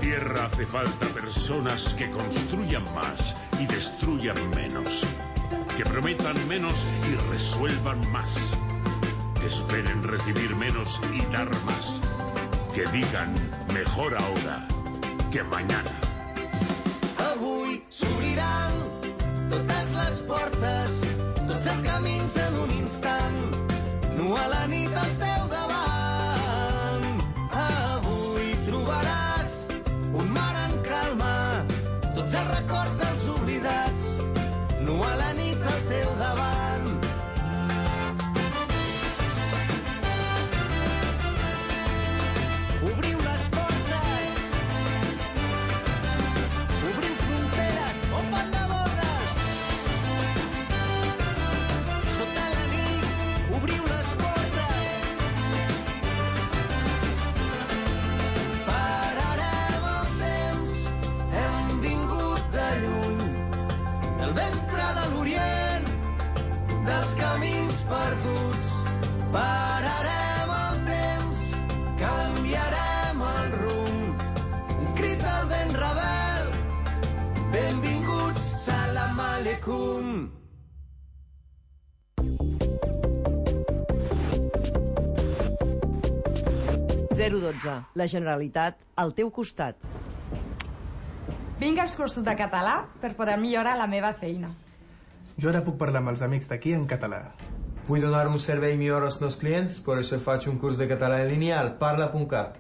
tierra hace falta personas que construyan más y destruyan menos, que prometan menos y resuelvan más, que esperen recibir menos y dar más, que digan mejor ahora que mañana. Avui s'obriran totes les portes, tots els camins en un instant, nu a la nit al teu davant. Avui trobaràs un mar en calma, tots els records dels oblidats, nu a la nit al teu davant. Obriu les portes, obriu fronteres, open the borders. Sota la nit, obriu les portes. Pararem el temps, hem vingut de lluny, del ventre de l'Orient, dels camins perduts. Pararem el temps, canviarem el rumb, un crit del vent rebel, benvinguts, salam aleikum. La Generalitat al teu costat. Vinc als cursos de català per poder millorar la meva feina. Jo ara puc parlar amb els amics d'aquí en català. Vull donar un servei millor als meus clients, per això faig un curs de català en línia al parla.cat.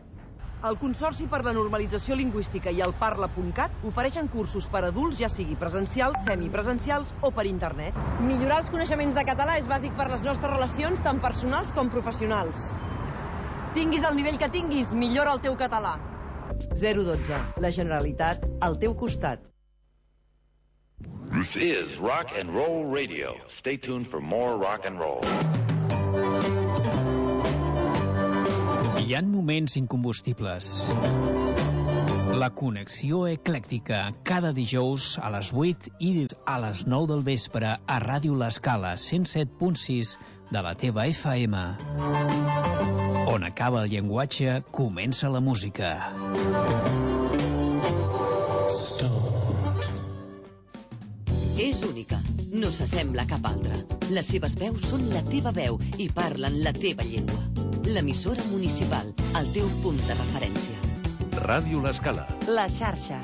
El Consorci per la Normalització Lingüística i el Parla.cat ofereixen cursos per adults, ja sigui presencials, semipresencials o per internet. Millorar els coneixements de català és bàsic per les nostres relacions, tant personals com professionals. Tinguis el nivell que tinguis, millora el teu català. 012. La Generalitat al teu costat. This is Rock and Roll Radio. Stay tuned for more rock and roll. Hi ha moments incombustibles. La connexió eclèctica, cada dijous a les 8 i a les 9 del vespre a Ràdio L'Escala 107.6 de la teva FM. On acaba el llenguatge, comença la música. És única, no s'assembla a cap altra. Les seves veus són la teva veu i parlen la teva llengua. L'emissora municipal, el teu punt de referència. Ràdio L'Escala. La xarxa.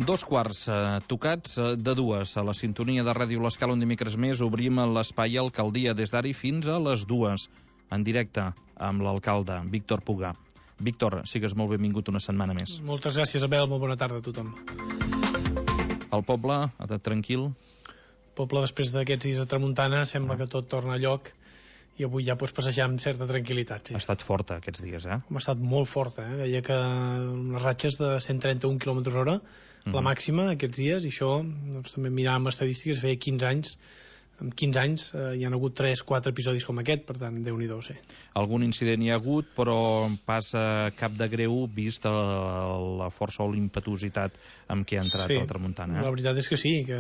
Dos quarts tocats de dues a la sintonia de Ràdio L'Escala, un dimecres més obrim l'espai Alcaldia des d'ara fins a les 2 en directe amb l'alcalde Víctor Puga. Víctor, sigues molt benvingut una setmana més. Moltes gràcies, Abel, molt bona tarda a tothom. El poble, tranquil? El poble, després d'aquests dies de tramuntana, sembla que tot torna a lloc i avui ja pots passejar amb certa tranquil·litat. Sí. Ha estat forta aquests dies, eh? Ha estat molt forta, Deia que unes ratxes de 131 km/h, la màxima aquests dies, i això, doncs, també miràvem estadístiques, feia 15 anys. En 15 anys hi han hagut 3-4 episodis com aquest, per tant, Déu-n'hi-do, sí. Algun incident hi ha hagut, però pas cap de greu vist la força o l'impetuositat amb què ha entrat la tramuntana. La veritat és que sí, que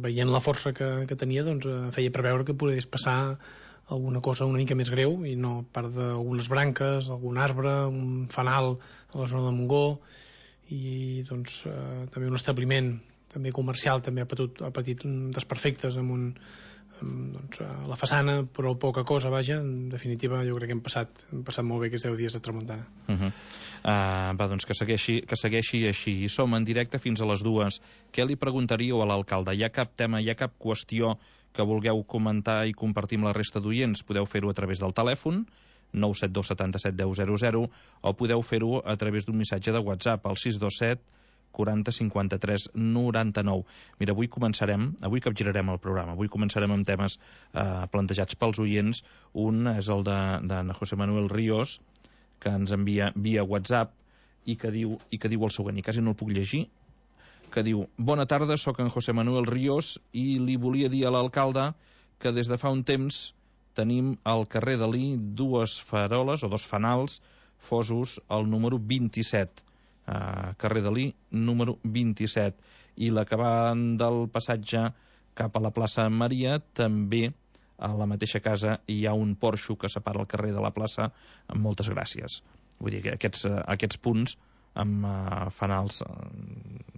veient la força que tenia, doncs feia preveure que podés passar alguna cosa una mica més greu, i no part d'algunes branques, algun arbre, un fanal a la zona de Montgó, i doncs també un establiment també comercial també ha patit desperfectes amb la façana, però poca cosa, vaja. En definitiva, jo crec que hem passat molt bé aquests 10 dies de tramuntana. Doncs que segueixi així. I som en directe fins a les 2. Què li preguntaríeu a l'alcalde? Hi ha cap tema, hi ha cap qüestió que vulgueu comentar i compartir amb la resta d'oients? Podeu fer-ho a través del telèfon 972 77 10 00, o podeu fer-ho a través d'un missatge de WhatsApp al 627 40 53 99. Mira, avui capgirarem el programa. Avui començarem amb temes plantejats pels oients. Un és el de José Manuel Ríos, que ens envia via WhatsApp i que diu el següent, i quasi no el puc llegir, que diu: bona tarda, sóc en José Manuel Ríos i li volia dir a l'alcalde que des de fa un temps tenim al carrer Dalí 2 faroles o 2 fanals Fosos, al número 27, carrer Dalí, número 27. I la que va del passatge cap a la plaça Maria, també a la mateixa casa hi ha un porxo que separa el carrer de la plaça, amb moltes gràcies. Vull dir que aquests punts amb fanals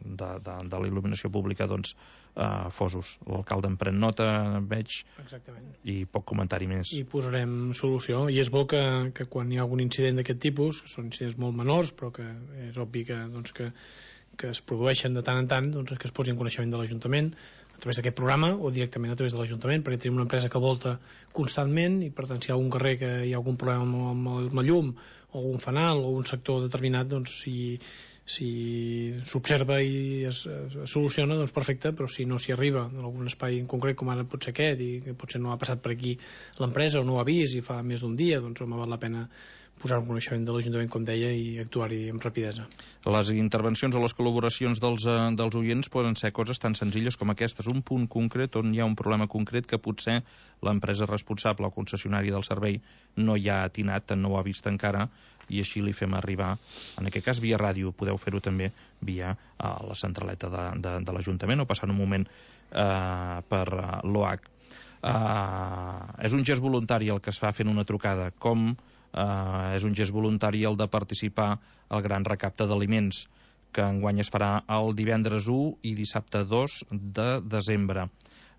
de la il·luminació pública, doncs, fosos. L'alcalde en pren nota, veig. Exactament. I poc comentari més. I posarem solució. I és bo que quan hi ha algun incident d'aquest tipus, que són incidents molt menors, però que és obvi que es produeixen de tant en tant, doncs que es posi en coneixement de l'Ajuntament a través d'aquest programa o directament a través de l'Ajuntament, perquè tenim una empresa que volta constantment i, per tant, si hi ha algun carrer que hi ha algun problema amb la llum o algun fanal o un sector determinat, doncs si s'observa i es soluciona, doncs perfecte, però si no s'hi arriba en algun espai en concret, com ara pot ser aquest, i que potser no ha passat per aquí l'empresa o no ho ha vist i fa més d'un dia, doncs home, val la pena posar un coneixement de l'Ajuntament, com deia, i actuar-hi amb rapidesa. Les intervencions o les col·laboracions dels oients poden ser coses tan senzilles com aquestes, un punt concret on hi ha un problema concret que potser l'empresa responsable o concessionària del servei no hi ha atinat, no ho ha vist encara, i així li fem arribar, en aquest cas via ràdio, podeu fer-ho també via la centraleta de l'Ajuntament o passant un moment per l'OH. És un gest voluntari el que es fa fent una trucada, com és un gest voluntari el de participar al gran recapte d'aliments, que enguany es farà el divendres 1 i dissabte 2 de desembre.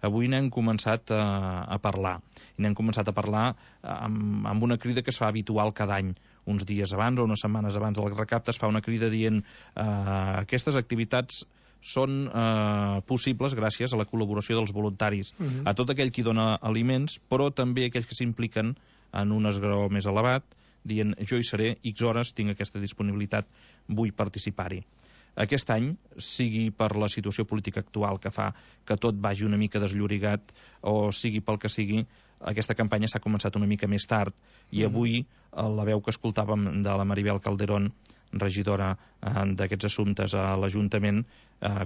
Avui n'hem començat a parlar, i n'hem començat a parlar amb una crida que es fa habitual cada any. Uns dies abans o unes setmanes abans del recapte es fa una crida dient aquestes activitats són possibles gràcies a la col·laboració dels voluntaris, a tot aquell qui dona aliments, però també aquells que s'impliquen en un esglaó més elevat, dient jo hi seré, X hores, tinc aquesta disponibilitat, vull participar-hi. Aquest any, sigui per la situació política actual que fa que tot vagi una mica desllorigat, o sigui pel que sigui, aquesta campanya s'ha començat una mica més tard, i avui la veu que escoltàvem de la Maribel Calderón, regidora d'aquests assumptes a l'Ajuntament,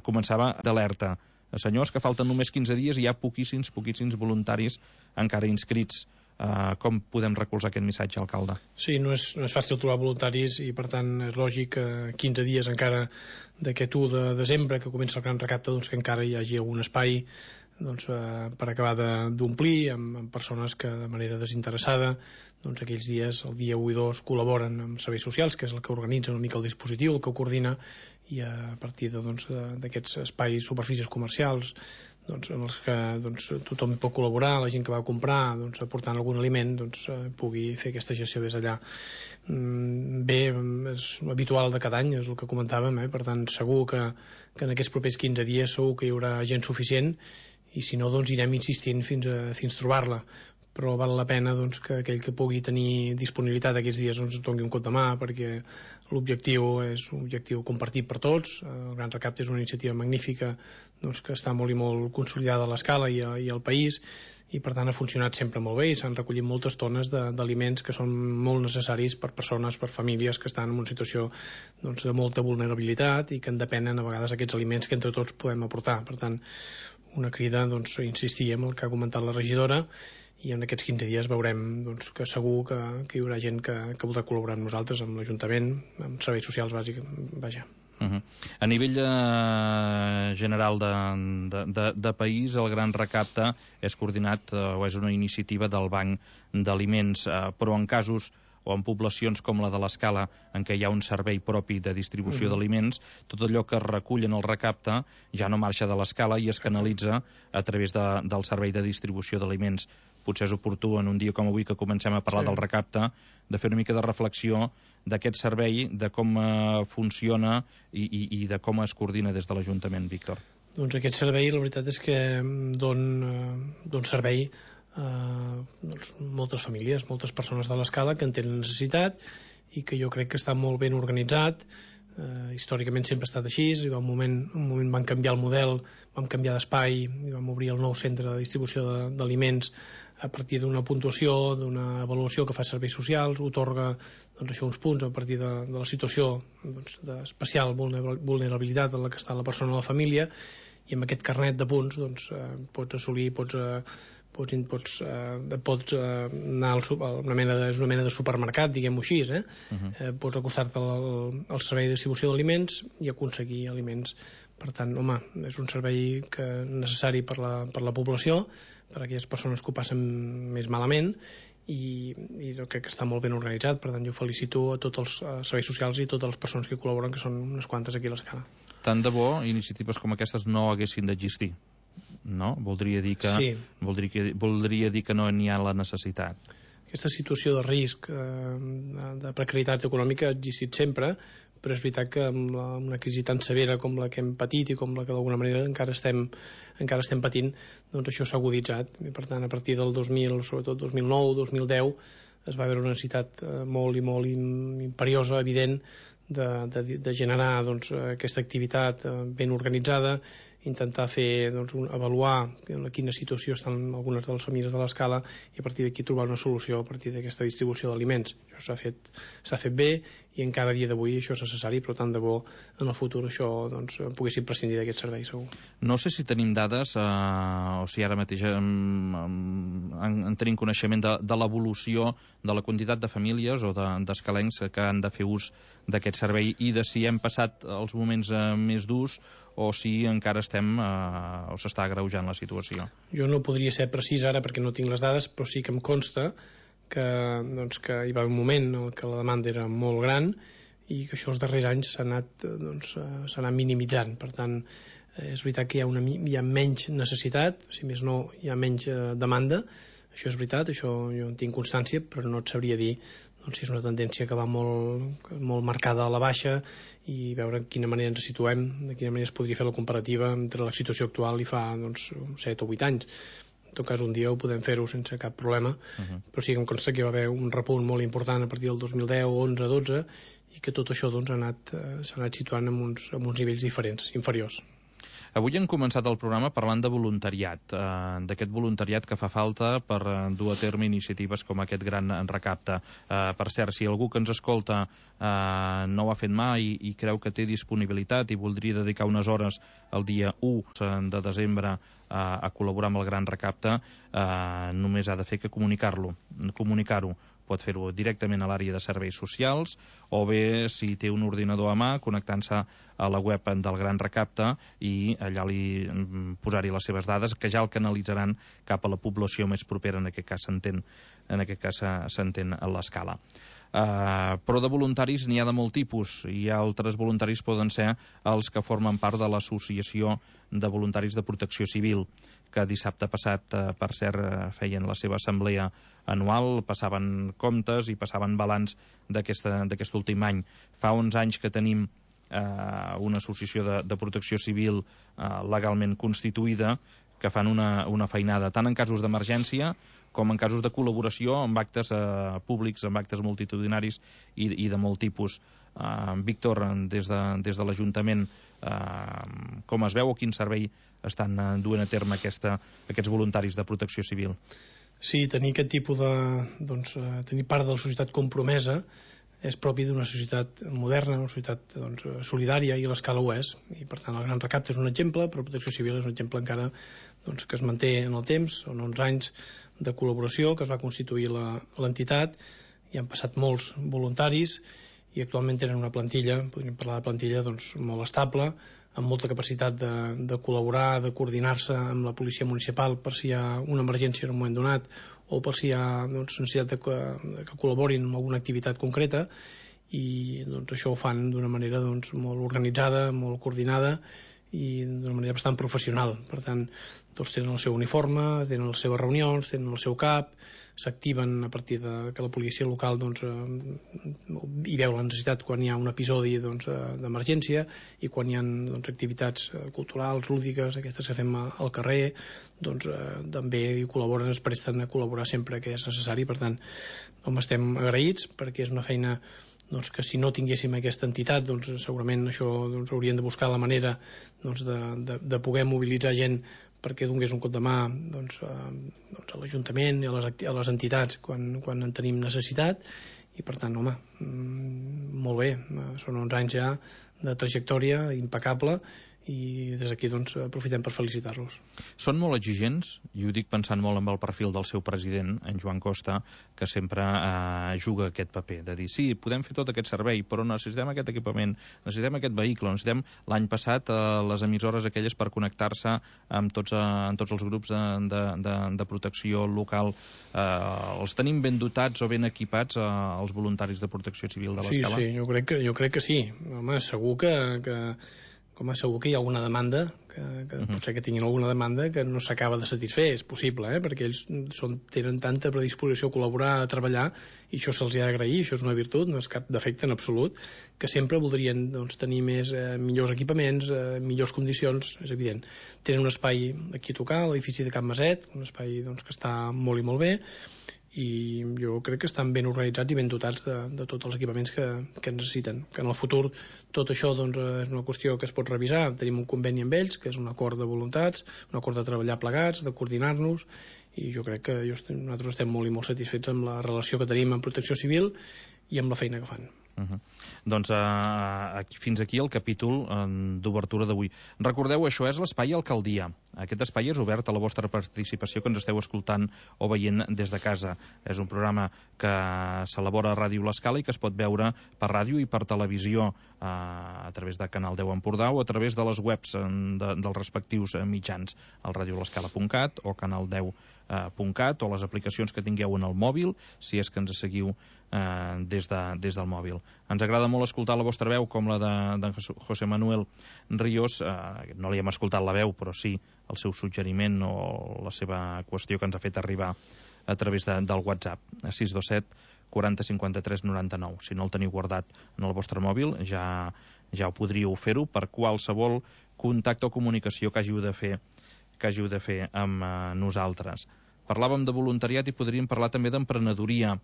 començava d'alerta. Senyors, que falten només 15 dies i hi ha poquíssims voluntaris encara inscrits. Com podem recolzar aquest missatge, alcalde? Sí, no és fàcil trobar voluntaris i per tant és lògic que 15 dies encara d'aquest 1 de desembre que comença el gran recapte, doncs que encara hi hagi algun espai per acabar d'omplir amb persones que de manera desinteressada aquells dies, el dia 1 i 2, col·laboren amb serveis socials, que és el que organitza una mica el dispositiu, el que coordina, i a partir d'aquests espais, superfícies comercials en els que tothom pot col·laborar, la gent que va a comprar aportant algun aliment pugui fer aquesta gestió des d'allà. Bé, és habitual de cada any, és el que comentàvem, per tant segur que en aquests propers 15 dies segur que hi haurà gent suficient, i si no anirem insistint fins trobar-la, però val la pena que aquell que pugui tenir disponibilitat aquests dies ens doni un cop de mà, perquè l'objectiu és un objectiu compartit per tots. El Gran Recapte és una iniciativa magnífica que està molt i molt consolidada a l'escala i al país, i per tant ha funcionat sempre molt bé i s'han recollit moltes tones d'aliments que són molt necessaris per persones, per famílies que estan en una situació de molta vulnerabilitat i que en depenen a vegades aquests aliments que entre tots podem aportar. Per tant, una crida a insistir en el que ha comentat la regidora, i en aquests 15 dies veurem que segur que hi haurà gent que voldrà col·laborar amb nosaltres, amb l'Ajuntament, amb serveis socials bàsics, vaja. A nivell general de país, el Gran Recapte és coordinat o és una iniciativa del Banc d'Aliments, però en casos o en poblacions com la de l'Escala, en què hi ha un servei propi de distribució d'aliments, tot allò que es recull en el recapte ja no marxa de l'Escala i es canalitza a través del servei de distribució d'aliments. Potser és oportú en un dia com avui que comencem a parlar del recapte, de fer una mica de reflexió d'aquest servei, de com funciona i de com es coordina des de l'Ajuntament, Víctor. Doncs aquest servei, la veritat és que dona servei moltes famílies, moltes persones de l'Escala que en tenen necessitat i que jo crec que està molt ben organitzat. Històricament sempre ha estat així, i un moment van canviar el model, vam canviar d'espai i vam obrir el nou centre de distribució d'aliments a partir d'una puntuació, d'una avaluació que fa serveis socials, otorga uns punts a partir de la situació d'especial vulnerabilitat en la que està la persona o la família, i amb aquest carnet de punts pots assolir, pots pots anar a una mena de supermercat, diguem-ho així, pots acostar-te al servei de distribució d'aliments i aconseguir aliments. Per tant, home, és un servei necessari per la població, per a aquelles persones que ho passen més malament, i crec que està molt ben organitzat. Per tant, jo felicito a tots els serveis socials i totes les persones que col·laboren, que són unes quantes aquí a l'Escala. Tant de bo iniciatives com aquestes no haguessin d'existir, no? Voldria dir que no n'hi ha la necessitat. Aquesta situació de risc, de precarietat econòmica ha existit sempre, però és veritat que amb una crisi tan severa com la que hem patit i com la que d'alguna manera encara estem patint, doncs això s'ha aguditzat. I per tant, a partir del 2000, sobretot 2009, 2010, es va veure una necessitat molt imperiosa, evident, de generar aquesta activitat ben organitzada, intentar fer, avaluar en quina situació estan algunes de les famílies de l'Escala i a partir d'aquí trobar una solució a partir d'aquesta distribució d'aliments. Això s'ha fet bé i encara a dia d'avui això és necessari, però tant de bo en el futur això poguéssim prescindir d'aquest servei, segur. No sé si tenim dades o si ara mateix en tenim coneixement de l'evolució de la quantitat de famílies o d'escalencs que han de fer ús d'aquest servei i de si hem passat els moments més durs o si encara o s'està agreujant la situació. Jo no podria ser precís ara perquè no tinc les dades, però sí que em consta que hi va haver un moment en què la demanda era molt gran i que això els darrers anys s'ha anat minimitzant. Per tant, és veritat que hi ha menys necessitat, si més no hi ha menys demanda. Això és veritat, això jo en tinc constància, però no et sabria dir si és una tendència que va molt marcada a la baixa i veure de quina manera ens situem, de quina manera es podria fer la comparativa entre la situació actual i fa 7 o 8 anys. En tot cas, un dia ho podem fer-ho sense cap problema, però sí que em consta que hi va haver un repunt molt important a partir del 2010, 11, 12, i que tot això s'ha anat situant en uns nivells diferents, inferiors. Avui hem començat el programa parlant de voluntariat, d'aquest voluntariat que fa falta per dur a terme iniciatives com aquest gran recapte. Per cert, si algú que ens escolta no ho ha fet mai i creu que té disponibilitat i voldria dedicar unes hores el dia 1 de desembre a col·laborar amb el gran recapte, només ha de fer que comunicar-ho. Pot fer-ho directament a l'àrea de serveis socials o bé, si té un ordinador a mà, connectant-se a la web del Gran Recapte i allà posar-hi les seves dades, que ja el canalitzaran cap a la població més propera, en aquest cas s'entén a l'Escala. Però de voluntaris n'hi ha de molt tipus i altres voluntaris poden ser els que formen part de l'Associació de Voluntaris de Protecció Civil, que dissabte passat, per cert, feien la seva assemblea anual, passaven comptes i passaven balanç d'aquest últim any. Fa 11 anys que tenim una associació de protecció civil legalment constituïda que fan una feinada tant en casos d'emergència com en casos de col·laboració amb actes públics, amb actes multitudinaris i de molt tipus. Víctor, des de l'Ajuntament, com es veu o quin servei estan duent a terme aquests voluntaris de protecció civil? Sí, tenir aquest tipus tenir part de la societat compromesa és propi d'una societat moderna, una societat solidària, i l'Escala ho és. I per tant el Gran Recapte és un exemple, però Protecció Civil és un exemple encara que es manté en el temps. Són 11 anys de col·laboració que es va constituir l'entitat i han passat molts voluntaris i actualment tenen una plantilla, podríem parlar de plantilla molt estable, amb molta capacitat de col·laborar, de coordinar-se amb la policia municipal per si hi ha una emergència en un moment donat o per si hi ha necessitat que col·laborin amb alguna activitat concreta, i això ho fan d'una manera molt organitzada, molt coordinada i d'una manera bastant professional. Per tant, tots tenen el seu uniforme, tenen les seves reunions, tenen el seu CAP, s'activen a partir que la policia local hi veu la necessitat quan hi ha un episodi d'emergència i quan hi ha activitats culturals, lúdiques, aquestes que fem al carrer, també hi col·laboren, es presten a col·laborar sempre que és necessari. Per tant, estem agraïts perquè és una feina que si no tinguéssim aquesta entitat segurament això haurien de buscar la manera de poder mobilitzar gent perquè donés un cop de mà a l'Ajuntament i a les entitats quan en tenim necessitat. I per tant, molt bé, són 11 anys ja de trajectòria impecable i des d'aquí doncs, aprofitem per felicitar-los. Són molt exigents, i ho dic pensant molt en el perfil del seu president, en Joan Costa, que sempre juga aquest paper, de dir, sí, podem fer tot aquest servei, però necessitem aquest equipament, necessitem aquest vehicle, necessitem l'any passat les emissores aquelles per connectar-se amb tots els grups de protecció local. Els tenim ben dotats o ben equipats els voluntaris de protecció civil de l'Escala? Sí, jo crec que sí. Home, segur que hi ha alguna demanda, que potser que tinguin alguna demanda que no s'acaba de satisfer, és possible, perquè ells tenen tanta predisposició a col·laborar, a treballar, i això se'ls ha d'agrair, això és una virtut, no és cap defecte en absolut, que sempre voldrien tenir millors equipaments, millors condicions, és evident. Tenen un espai aquí a tocar, l'edifici de Can Maset, un espai que està molt i molt bé, i jo crec que estan ben organitzats i ben dotats de tots els equipaments que necessiten. Que en el futur tot això és una qüestió que es pot revisar. Tenim un conveni amb ells, que és un acord de voluntats, un acord de treballar plegats, de coordinar-nos, i jo crec que nosaltres estem molt i molt satisfets amb la relació que tenim amb Protecció Civil i amb la feina que fan. Doncs fins aquí el capítol d'obertura d'avui. Recordeu, això és l'Espai Alcaldia. Aquest espai és obert a la vostra participació, que ens esteu escoltant o veient des de casa. És un programa que s'elabora a Ràdio L'Escala i que es pot veure per ràdio i per televisió a través de Canal 10 Empordà o a través de les webs dels respectius mitjans, al radiolescala.cat o canal10.cat o les aplicacions que tingueu en el mòbil, si és que ens seguiu des del mòbil. Ens agrada molt escoltar la vostra veu, com la d'en José Manuel Ríos. No li hem escoltat la veu, però sí el seu suggeriment o la seva qüestió que ens ha fet arribar a través del WhatsApp, 627 40 53 99. Si no el teniu guardat en el vostre mòbil, ja ho podríeu fer-ho per qualsevol contacte o comunicació que hàgiu de fer amb nosaltres. Parlàvem de voluntariat i podríem parlar també d'emprenedoria,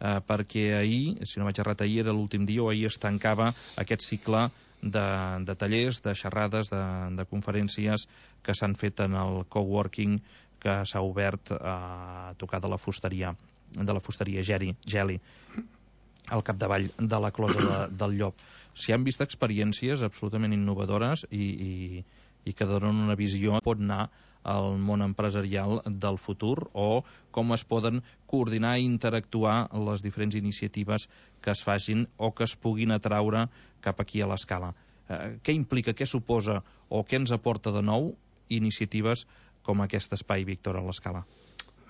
perquè ahir, si no vaig errat, ahir era l'últim dia o ahir es tancava aquest cicle de tallers, de xerrades, de conferències que s'han fet en el coworking que s'ha obert a tocar de la fusteria Geli, al capdavall de la closa del Llop. S'hi han vist experiències absolutament innovadores i que donen una visió, pot anar al món empresarial del futur, o com es poden coordinar i interactuar les diferents iniciatives que es facin o que es puguin atraure cap aquí a l'Escala. Què implica, què suposa o què ens aporta de nou iniciatives com aquest espai, Víctor, a l'Escala?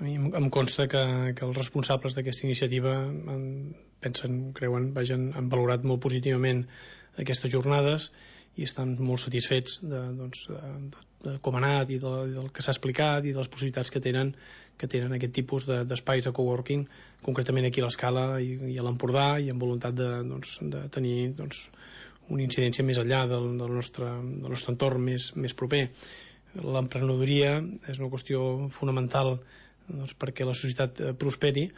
A mi em consta que els responsables d'aquesta iniciativa han valorat molt positivament aquestes jornades i estan molt satisfets de com ha anat i del que s'ha explicat i de les possibilitats que tenen aquest tipus d'espais de coworking, concretament aquí a l'Escala i a l'Empordà, i amb voluntat de tenir una incidència més enllà del nostre entorn més proper. L'emprenedoria és una qüestió fonamental perquè la societat prosperi,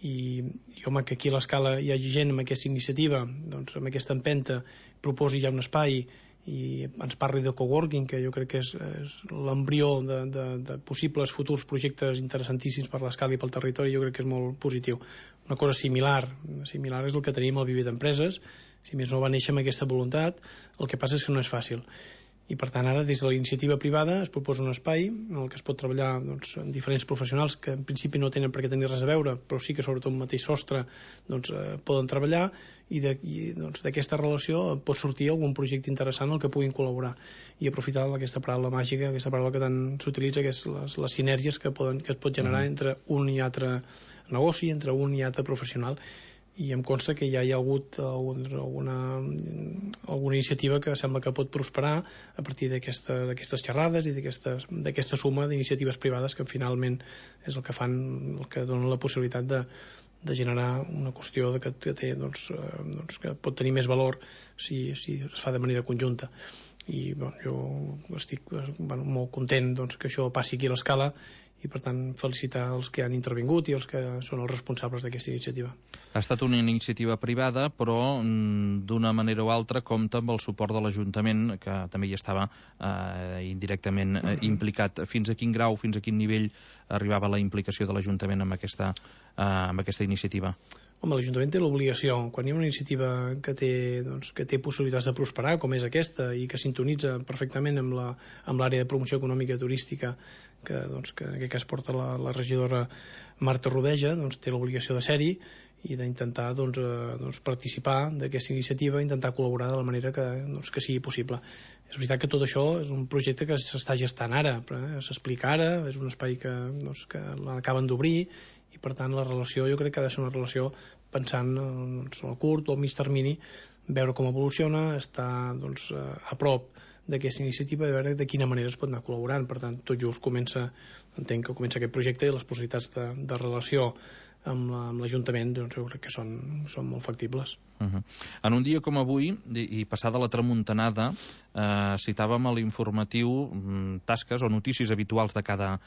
i home, que aquí a l'Escala hi hagi gent amb aquesta iniciativa, amb aquesta empenta, proposi ja un espai i ens parli de coworking, que jo crec que és l'embrió de possibles futurs projectes interessantíssims per l'Escala i pel territori, jo crec que és molt positiu. Una cosa similar és el que tenim al Viver d'Empreses, si més no va néixer amb aquesta voluntat, el que passa és que no és fàcil. I per tant ara des de la iniciativa privada es proposa un espai en el que es pot treballar amb diferents professionals que en principi no tenen per què tenir res a veure, però sí que sobretot un mateix sostre poden treballar, i d'aquesta relació pot sortir algun projecte interessant al que puguin col·laborar, i aprofitar aquesta paraula màgica, aquesta paraula que tant s'utilitza, que és les sinergies que es pot generar entre un i altre negoci, entre un i altre professional. I em consta que ja hi ha hagut alguna iniciativa que sembla que pot prosperar a partir d'aquestes xerrades i d'aquesta suma d'iniciatives privades que finalment és el que fan, el que dona la possibilitat de generar una qüestió que pot tenir més valor si es fa de manera conjunta. I jo estic molt content que això passi aquí a l'Escala i per tant felicitar els que han intervingut i els que són els responsables d'aquesta iniciativa. Ha estat una iniciativa privada, però d'una manera o altra compta amb el suport de l'Ajuntament, que també hi estava indirectament implicat. Fins a quin grau, fins a quin nivell arribava la implicació de l'Ajuntament amb aquesta iniciativa? Home, l'Ajuntament té l'obligació, quan hi ha una iniciativa que té possibilitats de prosperar, com és aquesta, i que sintonitza perfectament amb l'àrea de promoció econòmica i turística que en aquest cas porta la regidora Marta Rodeja, té l'obligació de ser-hi i d'intentar participar d'aquesta iniciativa, intentar col·laborar de la manera que sigui possible. És veritat que tot això és un projecte que s'està gestant ara, s'explica ara, és un espai que l'acaben d'obrir, i per tant la relació jo crec que ha de ser una relació pensant en el curt o el mig termini, veure com evoluciona, estar a prop d'aquesta iniciativa i veure de quina manera es pot anar col·laborant. Per tant, tot just entenc que comença aquest projecte i les possibilitats de relació amb l'Ajuntament jo crec que són molt factibles. En un dia com avui, i passada la tramuntanada, citàvem a l'informatiu tasques o notícies habituals de cada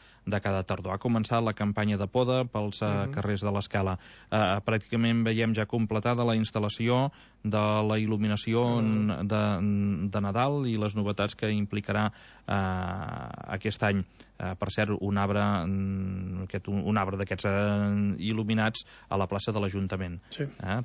tardor. Ha començat la campanya de poda pels carrers de l'Escala. Pràcticament veiem ja completada la instal·lació de la il·luminació de Nadal i les novetats que implicarà aquest any. Per cert, un arbre d'aquests il·luminats a la plaça de l'Ajuntament.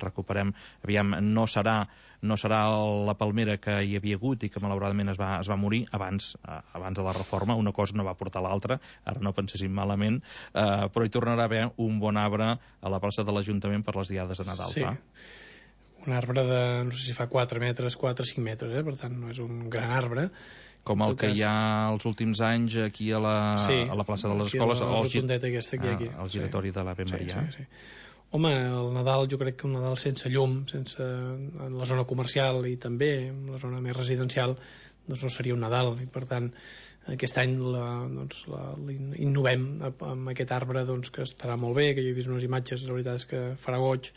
Recuperem, aviam, no serà la palmera que hi havia hagut i que malauradament es va morir abans de la reforma, una cosa no va portar l'altra, ara no penséssim malament, però hi tornarà a haver un bon arbre a la plaça de l'Ajuntament per les diades de Nadal. Sí, un arbre de, no sé si fa 4 metres, 4-5 metres, per tant no és un gran arbre. Com el que hi ha els últims anys aquí a la plaça de les Escoles, al giratori de l'Ave Maria. Home, el Nadal, jo crec que un Nadal sense llum, en la zona comercial i també en la zona més residencial, no seria un Nadal. I per tant, aquest any innovem amb aquest arbre que estarà molt bé, que jo he vist unes imatges, la veritat és que farà goig.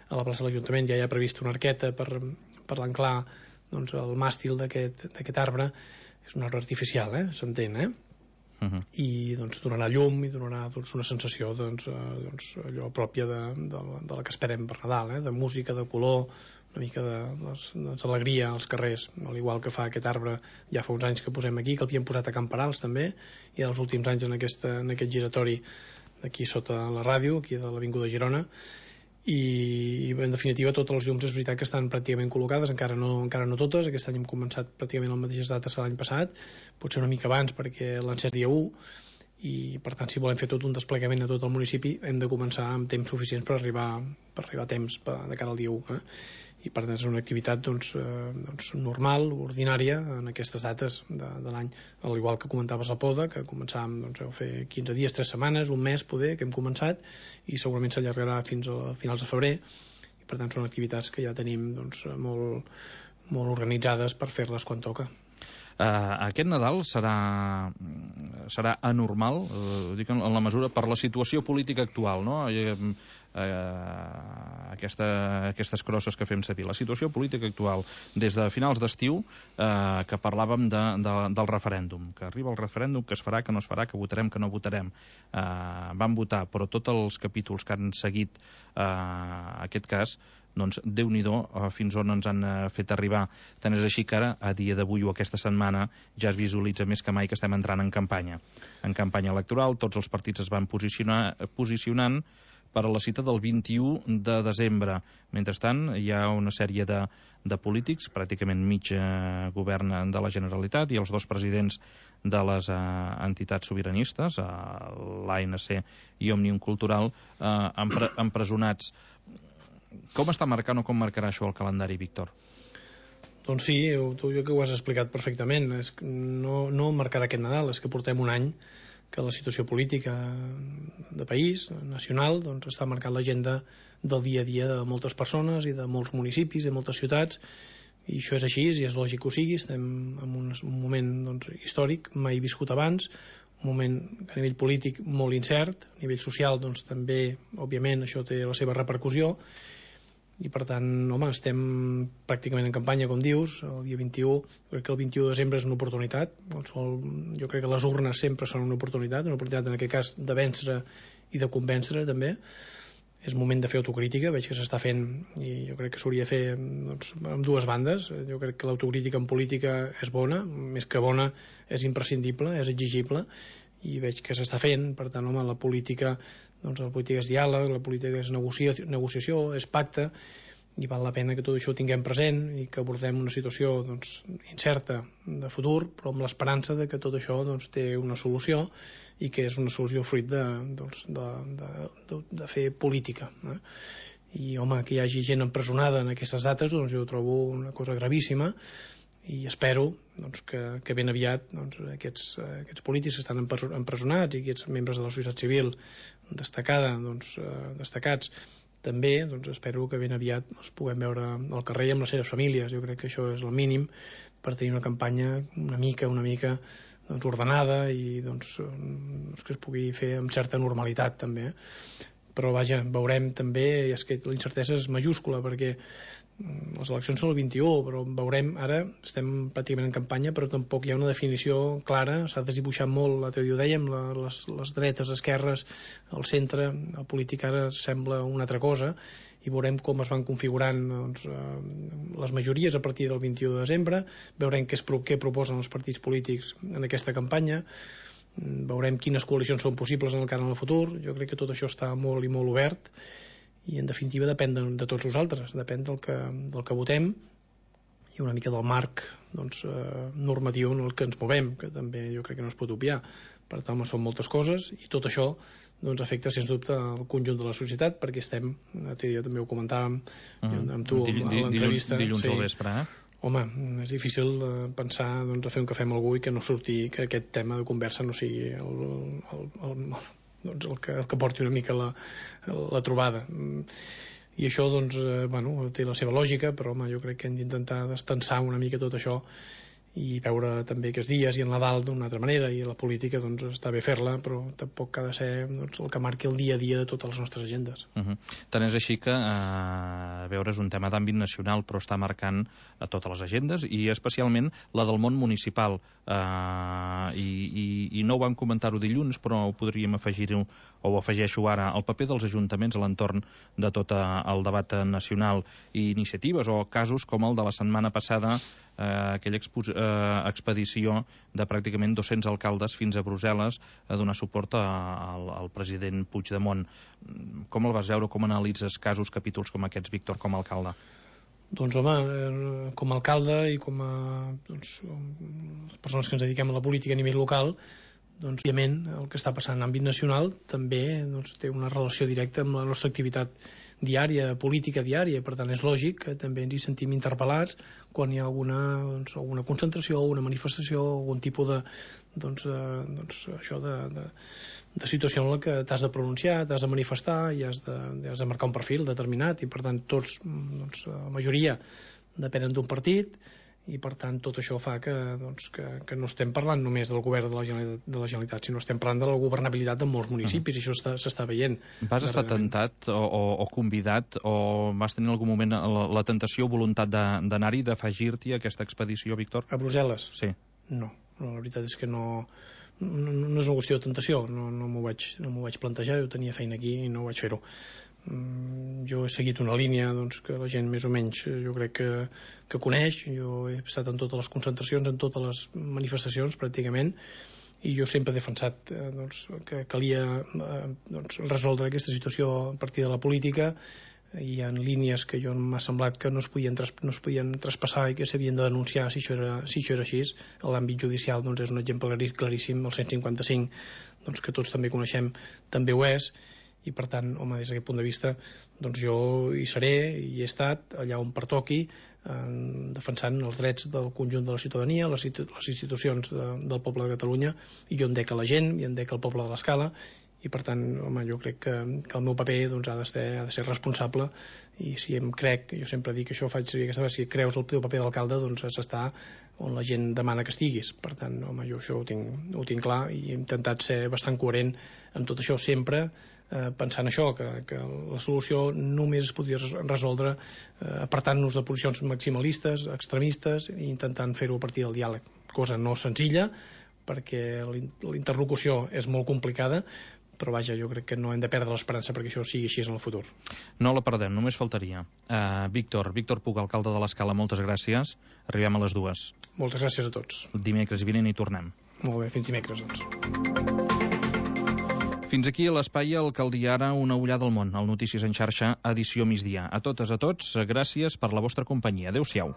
A la plaça de l'Ajuntament ja hi ha previst una arqueta per l'enclar el màstil d'aquest arbre. És un arbre artificial, s'entén, i donarà llum i donarà una sensació allò pròpia de la que esperem per Nadal, de música, de color, una mica d'alegria als carrers, al igual que fa aquest arbre ja fa uns anys que posem aquí, que l'havíem posat a Camperals també, i en els últims anys en aquest giratori d'aquí sota la ràdio, aquí de l'Avinguda Girona, i en definitiva totes les llums és veritat que estan pràcticament col·locades, encara no totes. Aquest any hem començat pràcticament a les mateixes dates que l'any passat, potser una mica abans perquè l'han encès dia 1, i per tant si volem fer tot un desplegament a tot el municipi hem de començar amb temps suficients per arribar a temps de cara al dia 1, i per tant és una activitat normal, ordinària en aquestes dates de l'any, al igual que comentaves la poda, que començàvem a fer 15 dies, 3 setmanes, un mes poder, que hem començat, i segurament s'allargarà fins a finals de febrer, i per tant són activitats que ja tenim molt organitzades per fer-les quan toca. Aquest Nadal serà anormal, dic en la mesura per la situació política actual, no? Aquestes crosses que fem servir. La situació política actual, des de finals d'estiu, que parlàvem del referèndum, que arriba el referèndum, que es farà, que no es farà, que votarem, que no votarem. Vam votar, però tots els capítols que han seguit aquest cas, doncs Déu-n'hi-do fins on ens han fet arribar. Tant és així que ara, a dia d'avui o aquesta setmana, ja es visualitza més que mai que estem entrant en campanya electoral. Tots els partits es van posicionant per a la cita del 21 de desembre. Mentrestant, hi ha una sèrie de polítics, pràcticament mig govern de la Generalitat i els 2 presidents de les entitats sobiranistes, l'ANC i Òmnium Cultural, empresonats. Com està marcant o com marcarà això el calendari, Víctor? Doncs sí, tu jo que ho has explicat perfectament. No marcarà aquest Nadal, és que portem un any que la situació política de país, nacional, està marcant l'agenda del dia a dia de moltes persones i de molts municipis i de moltes ciutats, i això és així i és lògic que ho sigui. Estem en un moment històric, mai viscut abans, un moment a nivell polític molt incert, a nivell social també, òbviament, això té la seva repercussió, i per tant, home, estem pràcticament en campanya, com dius, el dia 21, crec que el 21 de desembre és una oportunitat, jo crec que les urnes sempre són una oportunitat en aquest cas de vèncer i de convèncer també. És moment de fer autocrítica, veig que s'està fent i jo crec que s'hauria de fer doncs, amb dues bandes. Jo crec que l'autocrítica en política és bona, més que bona és imprescindible, és exigible, i veig que s'està fent. Per tant, home, la política és diàleg, la política és negociació, és pacte, i val la pena que tot això ho tinguem present i que abordem una situació incerta de futur, però amb l'esperança de que tot això té una solució i que és una solució fruit de fer política. I, home, que hi hagi gent empresonada en aquestes dates, jo ho trobo una cosa gravíssima, i espero que ben aviat aquests polítics que estan empresonats i aquests membres de la societat civil destacats també, espero que ben aviat els puguem veure al carrer amb les seves famílies. Jo crec que això és el mínim per tenir una campanya una mica ordenada i que es pugui fer amb certa normalitat també. Però vaja, veurem també, i és que la incertesa és majúscula perquè les eleccions són el 21, però veurem, ara estem pràcticament en campanya, però tampoc hi ha una definició clara, s'ha desdibuixat molt, l'altre dia ho dèiem, les dretes, esquerres, el centre, el polític ara sembla una altra cosa, i veurem com es van configurant les majories a partir del 21 de desembre, veurem què proposen els partits polítics en aquesta campanya, veurem quines coalicions són possibles en el cara en el futur. Jo crec que tot això està molt i molt obert, i en definitiva depèn de tots nosaltres, depèn del que votem i una mica del marc normatiu en el que ens movem, que també jo crec que no es pot obviar. Per tant, són moltes coses i tot això afecta sens dubte el conjunt de la societat, perquè estem, jo també ho comentàvem amb tu a l'entrevista, dilluns al vespre, Home, és difícil pensar a fer un cafè amb algú i que no surti, que aquest tema de conversa no sigui el que porti una mica la trobada. I això té la seva lògica, però home, jo crec que hem d'intentar destensar una mica tot això i veure també aquests dies i en Nadal d'una altra manera, i la política està bé fer-la, però tampoc ha de ser el que marqui el dia a dia de totes les nostres agendes. Tant és així que veure, és un tema d'àmbit nacional, però està marcant a totes les agendes i especialment la del món municipal, i no ho vam comentar-ho dilluns, però ho podríem afegir-ho, o ho afegeixo ara, el paper dels ajuntaments a l'entorn de tot el debat nacional, i iniciatives o casos com el de la setmana passada, aquella expedició de pràcticament 200 alcaldes fins a Brussel·les a donar suport al president Puigdemont. Com el vas veure, com analitzes casos, capítols com aquests, Víctor, com a alcalde? Doncs home, com a alcalde i com a les persones que ens dediquem a la política a nivell local, òbviament el que està passant en àmbit nacional també té una relació directa amb la nostra activitat diària, política diària, per tant és lògic que també ens hi sentim interpel·lats quan hi ha alguna concentració, alguna manifestació, algun tipus de situació en la que t'has de pronunciar, t'has de manifestar i has de marcar un perfil determinat, i per tant tots, la majoria depenen d'un partit, i per tant tot això fa que no estem parlant només del govern de la Generalitat, sinó estem parlant de la governabilitat de molts municipis, i això s'està veient. Vas estar tentat o convidat, o vas tenir en algun moment la tentació o voluntat d'anar-hi, d'afegir-t'hi a aquesta expedició, Víctor? A Brussel·les? Sí. No, la veritat és que no és una qüestió de tentació, no m'ho vaig plantejar, jo tenia feina aquí i no vaig fer-ho. Jo he seguit una línia que la gent més o menys jo crec que coneix. Jo he estat en totes les concentracions, en totes les manifestacions pràcticament, i jo sempre he defensat que calia resoldre aquesta situació a partir de la política. Hi ha línies que jo m'ha semblat que no es podien traspassar i que s'havien de denunciar si això era així. L'àmbit judicial és un exemple claríssim, el 155, que tots també coneixem, també ho és. I per tant, home, des d'aquest punt de vista jo hi seré i he estat allà on pertoqui, defensant els drets del conjunt de la ciutadania, les institucions del poble de Catalunya, i jo em dec a la gent i em dec al poble de l'Escala, i per tant, home, jo crec que el meu paper doncs, ha de ser responsable, i si em crec, jo sempre dic que això faig servir aquesta vegada, si creus el teu paper d'alcalde, doncs has d'estar on la gent demana que estiguis. Per tant, home, jo això ho tinc clar, i he intentat ser bastant coherent amb tot això, sempre pensant això, que la solució només es podria resoldre apartant-nos de posicions maximalistes, extremistes, i intentant fer-ho a partir del diàleg, cosa no senzilla, perquè l'interlocució és molt complicada, però vaja, jo crec que no hem de perdre l'esperança perquè això sigui així en el futur. No la perdem, només faltaria. Víctor Puig, alcalde de l'Escala, moltes gràcies. Arribem a les 2. Moltes gràcies a tots. Dimecres vinent hi tornem. Molt bé, fins dimecres, doncs. Fins aquí l'espai Alcaldia Ara, una ullada al món, al Notícies en xarxa, edició migdia. A totes, a tots, gràcies per la vostra companyia. Adéu-siau.